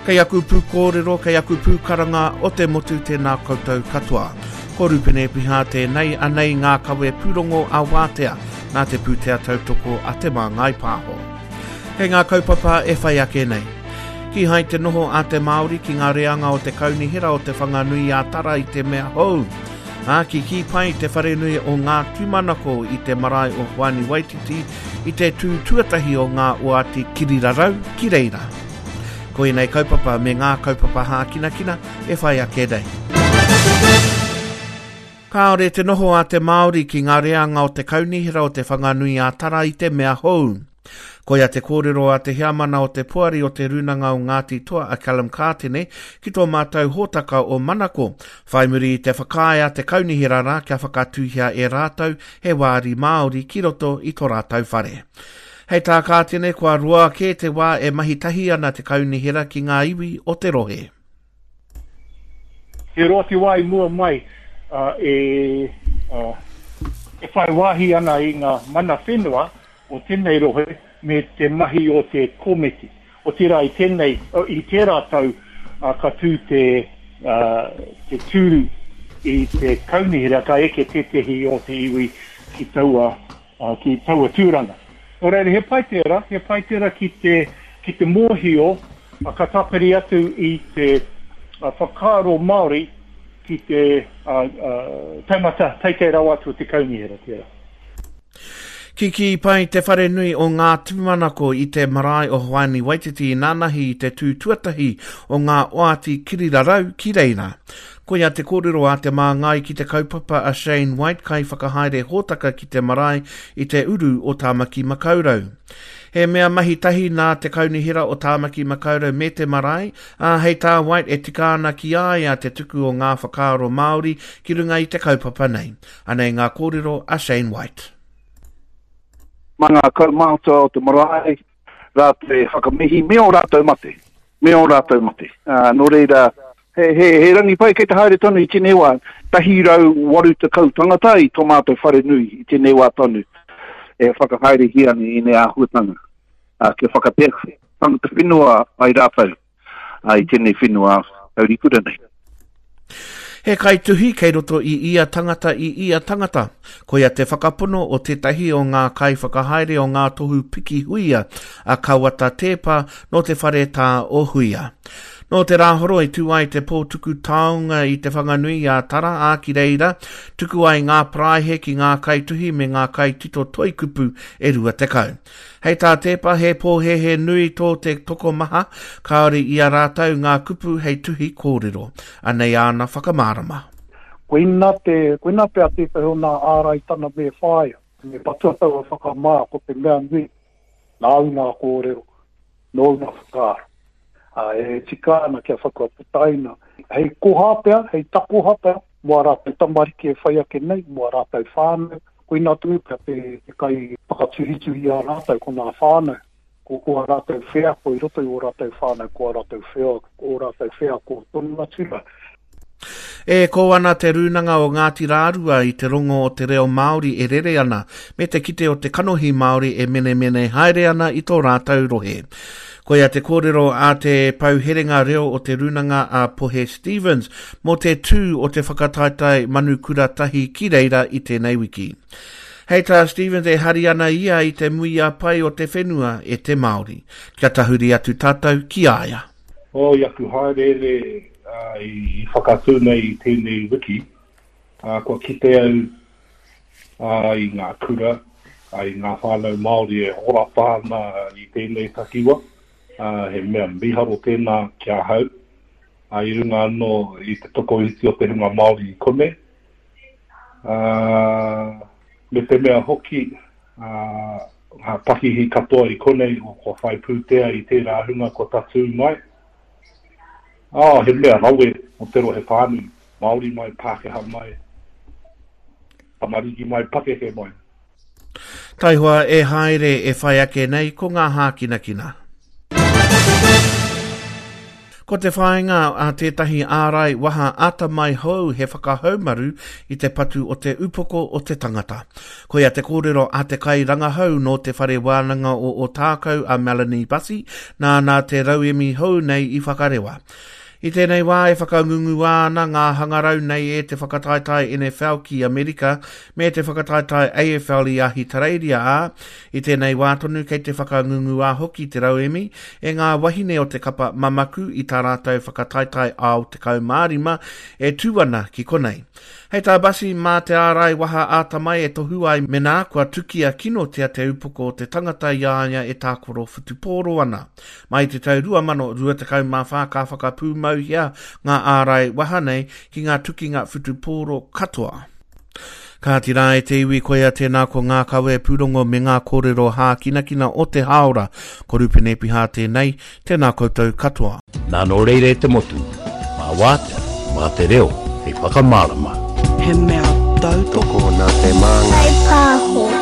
Kei aku pūkōrero, kei aku pūkaranga o te motu tēnā koutou katoa. Ko Rupene Piha tēnei, anei ngā kawe pūrongo a Wātea nā te pūtea tautoko a Te Māngai Pāho. Kei ngā kaupapa e whai ake nei. Kīhai te noho a te Māori ki ngā reanga o te Kaunihera o Te Whanganui-a-Tara i te mea hou. Ā, kikī pai te wharenui o Ngā Tūmanako i te marae o Hoani Waititi i te tū tuatahi o ngā oati kirirarau ki reira. Ko ēnei kaupapa me ngā kaupapa hākinakina e whai ake nei. Kāore te noho a te Māori ki ngā reanga o te Kaunihera o Te Whanganui-a-Tara i te mea hou. Koia te kōrero a te heamana o te poari o Te Rūnanga o Ngāti Toa a Callum Kātene ki tō mātou hōtaka o Manako, whai muri i te whakaae a te kaunihera rā kia whakatūhia e rātou he wāri Māori ki roto i tō rātou whare. Hei tā Kātene, kua roa kē te wā e mahi tahi ana te kaunihera ki ngā iwi o te rohe. He roa te wā i mua mai e whai wāhi ana i ngā mana whenua o tēnei rohe me te mahi o te komiti. Otirā i tēnei, i tērā tau ka tū te, te tūru i te kaunihera ka eke tētehi o te iwi ki taua, ki taua tūranga. Nō reira he pai tērā, he pai tērā ki te, ki te mōhio ka tāpiri atu i te whakaaro Māori ki te taumata teitei rawa atu o te kaunihera tērā. Kikī pai te wharenui o Ngā Tūmanako i te marae o Hoani Waititi nanahi i te tū tuatahi o ngā oati kirirarau ki reira. Koia te kōrero a te māngai ki te kaupapa a Shane White kaiwhakahaere hōtaka ki te marae i te uru o Tāmaki Makaurau. He mea mahi tahi nā te Kaunihera o Tāmaki Makaurau me te marae, ā, hei tā White e tika ana ki a ia te tuku o ngā whakaaro Māori ki runga i te kaupapa nei. Anei ngā kōrero a Shane White. Mā ngā kaumātua o te marae rātou e whakamihi me ō rātou mate, me ō rātou mate. Ā, nō reira, he, he, he rangi pai kei te haere tonu i tēnei wā, 180 tangata i tō mātou wharenui i tēnei wā tonu e whakahaerehia ana i ēnei āhuatanga, ā, kia whakatea tangata whenua ai rātou. i tēnei whenua taurikura nei. He kaituhi kei roto i ia tangata i ia tangata. Koia te whakapono o tētahi o ngā kaiwhakahaere o ngā tohu piki huia, a Kawata Tēpa nō te whare tā o Huia. Nō te Rāhoroi tū ai te pō tuku taonga i Te Whanganui a Tara, ā, ki reira, tuku ai ngā paraihe ki ngā kaituhi me ngā kaitito toikupu e 20. Hei tā Teepa, he pōhēhē nui tō te tokomaha, kāore i a rātou ngā kupu hei tuhi kōrero. Anei āna whakamārama. Koina te, koina pea tētahi o nā āraitana me whāia, me patua taua whakamā, ko te mea nui, nāu ngā kōrero, nōu ngā whakaaro. Ā, e tika ana kia whakaputaina hei koha pea, hei takoha pea, mō ā rātou tamariki e whai ake nei, mō ā rātou whānau, koinā tonu pea te, te kai whakatuhituhi i a rātou, ko ngā whānau, ko, ko ā rātou wheako i roto i ō rātou whānau, ko ā rātou whea, ō rātou wheako tonu atu rā. E kō ana te Rūnanga o Ngāti Rārua i te rongo o te reo Māori e rere ana, me te kite o te kanohi Māori e menemene haere ana i tō rātou rohe. Koia te kōrero a te pou herenga reo o te Rūnanga a Pohe Stevens mō te tū o te whakataetae Manu Kura Tahi ki reira i tēnei wiki. Hei tā Stevens e hari ana ia i te muia pai o te whenua e te Māori. Kia tahuri atu tātou ki a ia. Oh, i aku hāereere i whakatū nei i tēnei wiki, kua kite au i ngā kura, i ngā whānau Māori e horapa ana i tēnei takiwa. He mea mīharo tēnā ki ahau, i runga anō i te tokoiti o te hunga Māori i konei. Me te mea hoki, ngā pakihi katoa i konei kua whai pūtea i tērā hunga kua tatū mai. Oh, he mea rawe mō te rohe whānui, Māori mai, Pākehā mai, tamariki mai, pakeke mai. Taihoa e haere e whai ake nei ko ngā hākinakina. Ko te whāinga a tētahi ārai waha atamai hou he whakahaumaru i te patu o te upoko o te tangata. Koia te kōrero a te kairangahau nō Te Whare Wānanga o Ōtākou a Melanie Bussey, nāna te rauemi hou nei i whakarewa. I tēnei wā e whakangunguā ana ngā hangarau nei e te whakataetae NFL ki Amerika me te whakataetae AFL i Ahitereiria ā, i tēnei wā tonu kei te whakangunguā hoki te rauemi e ngā wahine o te kapa mamaku i tā rātou whakataetae ao 15 e tū ana ki konei. Hei tā Bussey, mā te ārai waha ātamai e tohu ai menā kua tukia kinotia te upoko o te tangata i a ia e tākaro whutupōro ana. Mai i te tau 2024 ka whakapūmauhia ngā ārai waha nei ki ngā tukinga whutupōro katoa. Kāti rā e te iwi koia tēnā ko ngā kawe pūrongo me ngā kōrero hākinakina o te hāora. Ko Rupene Piha tēnei, tēnā koutou katoa. Nā nō reira e te motu, mā wātea, mā te reo hei whakamārama. He mea tautoko nā te māngai. Whai pāho.